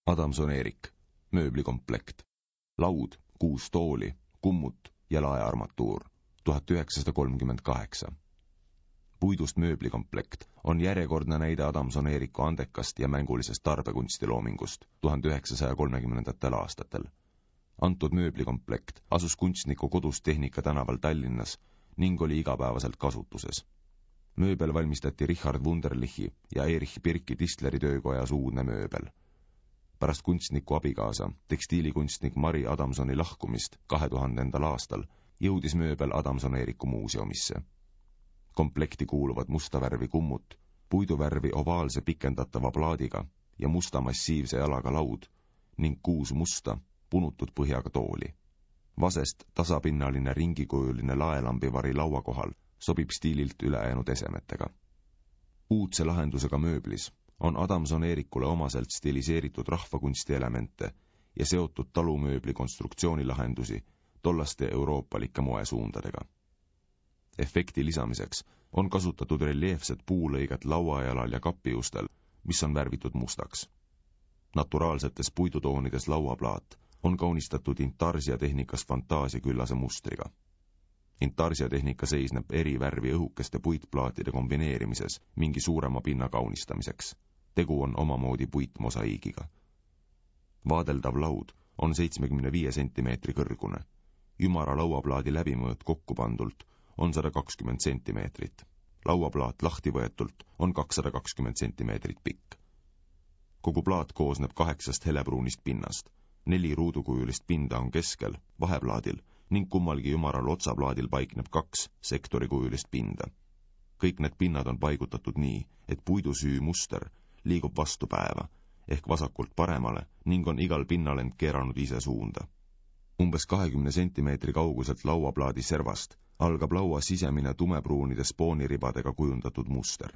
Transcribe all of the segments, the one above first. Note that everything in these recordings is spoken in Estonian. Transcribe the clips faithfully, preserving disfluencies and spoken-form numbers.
Adamson-Erik, mööblikomplekt, laud, kuus tooli, kummut ja laearmatuur, tuhat üheksasada kolmkümmend kaheksa. Puidust mööblikomplekt on järjekordne näide Adamson-Eeriku andekast ja mängulisest tarbekunstiloomingust tuhande üheksasaja kolmekümnendatel aastatel. Antud mööblikomplekt asus kunstniku kodus Tehnika tänaval Tallinnas ning oli igapäevaselt kasutuses. Mööbel valmistati Richard Wunderlichi ja Erich Birki Tistleri töökojas uudne mööbel. Pärast kunstniku abikaasa, tekstiilikunstnik Mari Adamsoni lahkumist kahe tuhandendal aastal jõudis mööbel Adamson-Eeriku muuseumisse. Komplekti kuuluvad musta värvi kummut, puiduvärvi ovaalse pikendatava plaadiga ja musta massiivse jalaga laud ning kuus musta, punutud põhjaga tooli. Vasest tasapinnaline ringikujuline laelambivari laua kohal sobib stiililt ülejäänud esemetega. Uudse lahendusega mööblis on Adamson-Eerikule omaselt stiliseeritud rahvakunsti elemente ja seotud talumööbli konstruktsioonilahendusi tollaste euroopalike moesuundadega. Efekti lisamiseks on kasutatud reljeefset puulõiget lauajalal ja kapiustel, mis on värvitud mustaks. Naturaalsetes puidutoonides lauaplaat on kaunistatud intarsiatehnikas fantaasiaküllase mustriga. Intarsiatehnika seisneb eri värvi õhukeste puitplaatide kombineerimises mingi suurema pinna kaunistamiseks. Tegu on omamoodi puitmosaiigiga. Vaadeldav laud on seitsmekümne viie sentimeetri kõrgune. Ümara lauaplaadi läbimõõt kokku pandult on sada kakskümmend sentimeetrit. Lauaplaat lahti võetult on kakssada kakskümmend sentimeetrit pikk. Kogu plaat koosneb kaheksast helepruunist pinnast. Neli ruudukujulist pinda on keskel, vaheplaadil ning kummalgi ümaral otsaplaadil paikneb kaks sektorikujulist pinda. Kõik need pinnad on paigutatud nii, et puidusüü muster liigub vastu päeva, ehk vasakult paremale ning on igal pinnal end keeranud ise suunda. Umbes kahekümne sentimeetri kauguselt lauaplaadi servast algab laua sisemine tumepruunide spooniribadega kujundatud muster.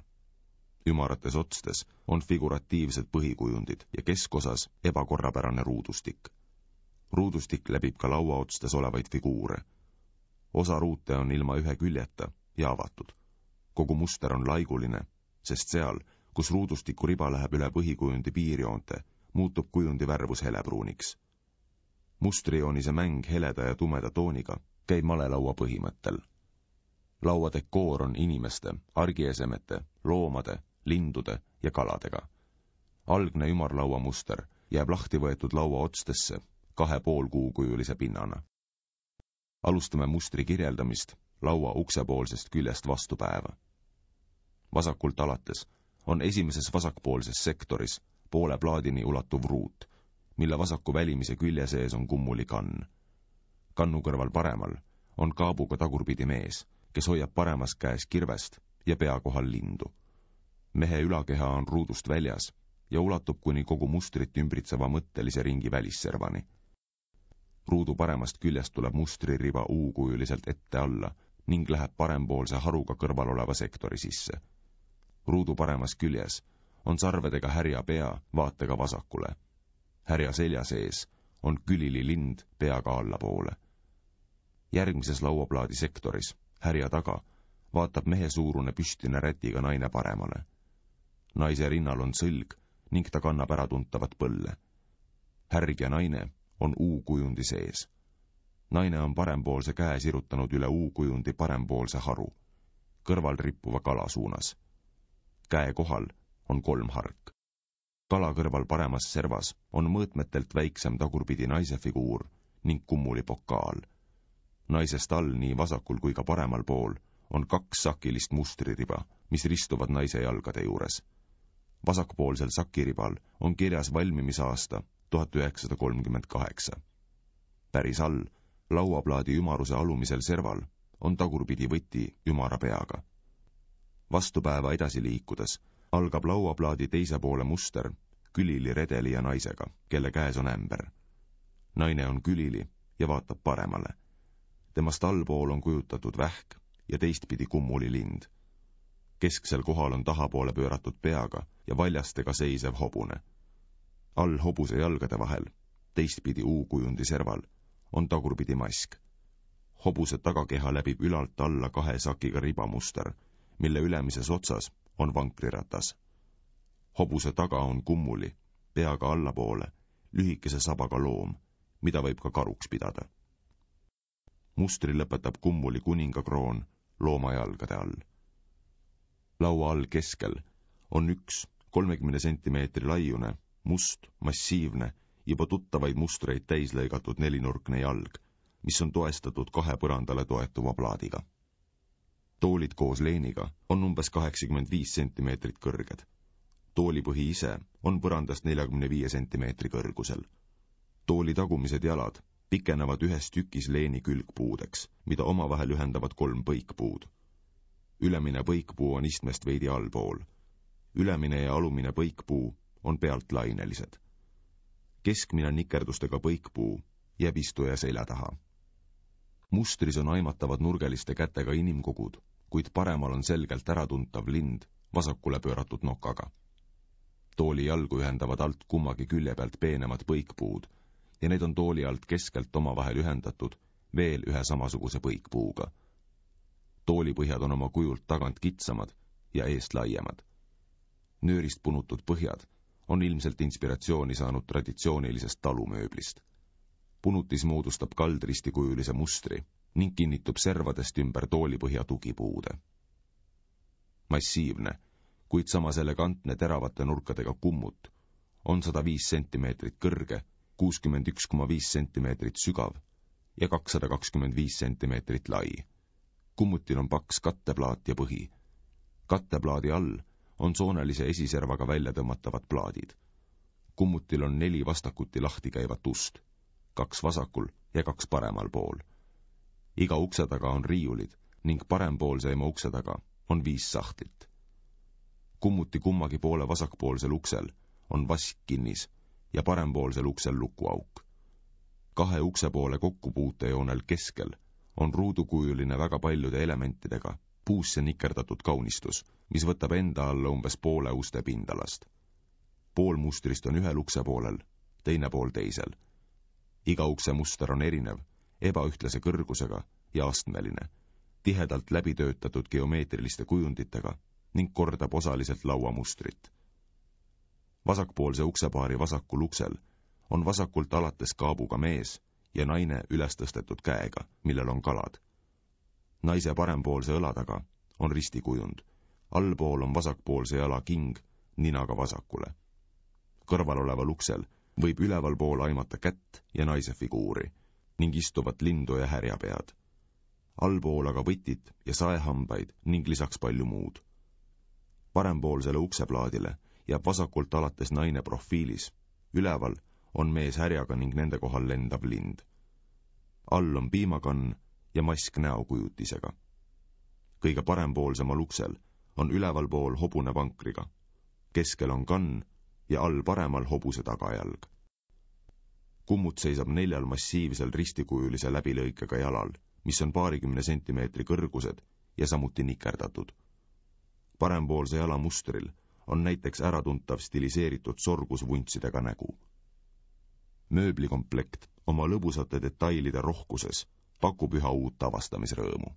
Ümarates otstes on figuratiivsed põhikujundid ja keskosas ebakorrapärane ruudustik. Ruudustik läbib ka laua otstes olevaid figuure. Osa ruute on ilma ühe küljeta ja avatud. Kogu muster on laiguline, sest seal, kus ruudustiku riba läheb üle põhikujundi piirjoonte, muutub kujundi värvus helepruuniks. Mustrijoonise mäng heleda ja tumeda tooniga käib malelaua põhimõttel. Laua dekoor on inimeste, argiesemete, loomade, lindude ja kaladega. Algne ümarlaua muster jääb lahti võetud laua otstesse kahe pool kuukujulise pinnana. Alustame mustri kirjeldamist laua uksepoolsest küljest vastu päeva. Vasakult alates on esimeses vasakpoolses sektoris poole plaadini ulatuv ruut, mille vasaku välimise külje sees on kummuli kann. Kannu kõrval paremal on kaabuga tagurpidi mees, kes hoiab paremas käes kirvest ja pea kohal lindu. Mehe ülakeha on ruudust väljas ja ulatub kuni kogu mustrit ümbritseva mõttelise ringi välisservani. Ruudu paremast küljest tuleb mustririba U-kujuliselt ette alla ning läheb parempoolse haruga kõrval oleva sektori sisse. Ruudu paremas küljes on sarvedega härja pea vaatega vasakule. Härja selja sees on külili lind peaga allapoole. Järgmises lauaplaadi sektoris, härja taga, vaatab mehe suurune püstine rätiga naine paremale. Naise rinnal on sõlg ning ta kannab ära tuntavat põlle. Härg ja naine on U-kujundi sees. Naine on parempoolse käe sirutanud üle U-kujundi parempoolse haru, kõrval rippuva kala suunas. Käe kohal on kolm hark. Kala kõrval paremas servas on mõõtmetelt väiksem tagurpidi naise figuur ning kummuli pokaal. Naisest all nii vasakul kui ka paremal pool on kaks sakilist mustririba, mis ristuvad naise jalgade juures. Vasakpoolsel sakiribal on kirjas valmimisaasta tuhat üheksasada kolmkümmend kaheksa. Päris all, lauaplaadi ümaruse alumisel serval, on tagurpidi võti ümara peaga. Vastupäeva edasi liikudes algab lauaplaadi teise poole muster külili redeli ja naisega, kelle käes on ämber. Naine on külili ja vaatab paremale. Temast allpool on kujutatud vähk ja teistpidi kummuli lind. Kesksel kohal on tahapoole pööratud peaga ja valjastega seisev hobune. All hobuse jalgade vahel, teistpidi U-kujundi serval, on tagurpidi mask. Hobuse tagakeha läbib ülalt alla kahe sakiga ribamuster, mille ülemises otsas on vankriratas. Hobuse taga on kummuli, peaga allapoole lühikese sabaga loom, mida võib ka karuks pidada. Mustri lõpetab kummuli kuningakroon looma jalgade all. Laua all keskel on üks kolmekümne sentimeetri laiune, must, massiivne, juba tuttavaid mustreid täislõigatud nelinurkne jalg, mis on toestatud kahe põrandale toetuva plaadiga. Toolid koos leeniga on umbes kaheksakümmend viis sentimeetrit kõrged. Toolipõhi ise on põrandast neljakümne viie sentimeetri kõrgusel. Tooli tagumised jalad pikenevad ühes tükis leeni külgpuudeks, mida omavahel ühendavad kolm põikpuud. Ülemine põikpuu on istmest veidi allpool. Ülemine ja alumine põikpuu on pealt lainelised. Keskmine nikerdustega põikpuu jääb istuja selja taha. Mustris on aimatavad nurgeliste kätega inimkogud, kuid paremal on selgelt äratuntav lind vasakule pööratud nokaga. Tooli jalgu ühendavad alt kummagi külje pealt peenemad põikpuud ja need on tooli alt keskelt omavahel ühendatud veel ühe samasuguse põikpuuga. Toolipõhjad on oma kujult tagant kitsamad ja eest laiemad. Nöörist punutud põhjad on ilmselt inspiratsiooni saanud traditsioonilisest talumööblist. Punutis moodustab kaldristikujulise mustri ning kinnitub servadest ümber toolipõhja tugipuude. Massiivne, kuid samas elegantne teravate nurkadega kummut on sada viis sentimeetrit kõrge, kuuskümmend üks koma viis sentimeetrit sügav ja kakssada kakskümmend viis sentimeetrit lai. Kummutil on paks katteplaat ja põhi. Katteplaadi all on soonelise esiservaga välja tõmmatavad plaadid. Kummutil on neli vastakuti lahti käivat ust, kaks vasakul ja kaks paremal pool. Iga ukse taga on riiulid ning parempoolseima ukse taga on viis sahtlit. Kummuti kummagi poole vasakpoolsel uksel on vask kinnis ja parempoolsel uksel lukuauk. Kahe ukse poole kokkupuutejoonel keskel on ruudukujuline väga paljude elementidega puusse nikerdatud kaunistus, mis võtab enda alla umbes poole uste pindalast. Pool mustrist on ühel ukse poolel, teine pool teisel. Iga ukse muster on erinev, ebaühtlase kõrgusega ja astmeline, tihedalt läbitöötatud geomeetriliste kujunditega ning kordab osaliselt lauamustrit. Vasakpoolse uksepaari vasakul uksel on vasakult alates kaabuga mees ja naine üles tõstetud käega, millel on kalad. Naise parempoolse õla taga on ristikujund. Allpool on vasakpoolse jala king ninaga vasakule. Kõrval oleval uksel võib ülevalpool aimata kätt ja naise figuuri ning istuvat lindu ja härjapead. Allpool aga võtit ja saehambaid ning lisaks palju muud. Parempoolsele ukseplaadile jääb vasakult alates naine profiilis. Üleval on mees härjaga ning nende kohal lendav lind. All on piimakann ja mask näokujutisega. Kõige parempoolsemal uksel on ülevalpool hobune vankriga. Keskel on kann ja all paremal hobuse tagajalg. Kummut seisab neljal massiivsel ristikujulise läbilõikega jalal, mis on paarikümne sentimeetri kõrgused ja samuti nikerdatud. Parempoolse jala mustril on näiteks äratuntav stiliseeritud sorgusvuntsidega nägu. Mööblikomplekt oma lõbusate detailide rohkuses pakub üha uut avastamisrõõmu.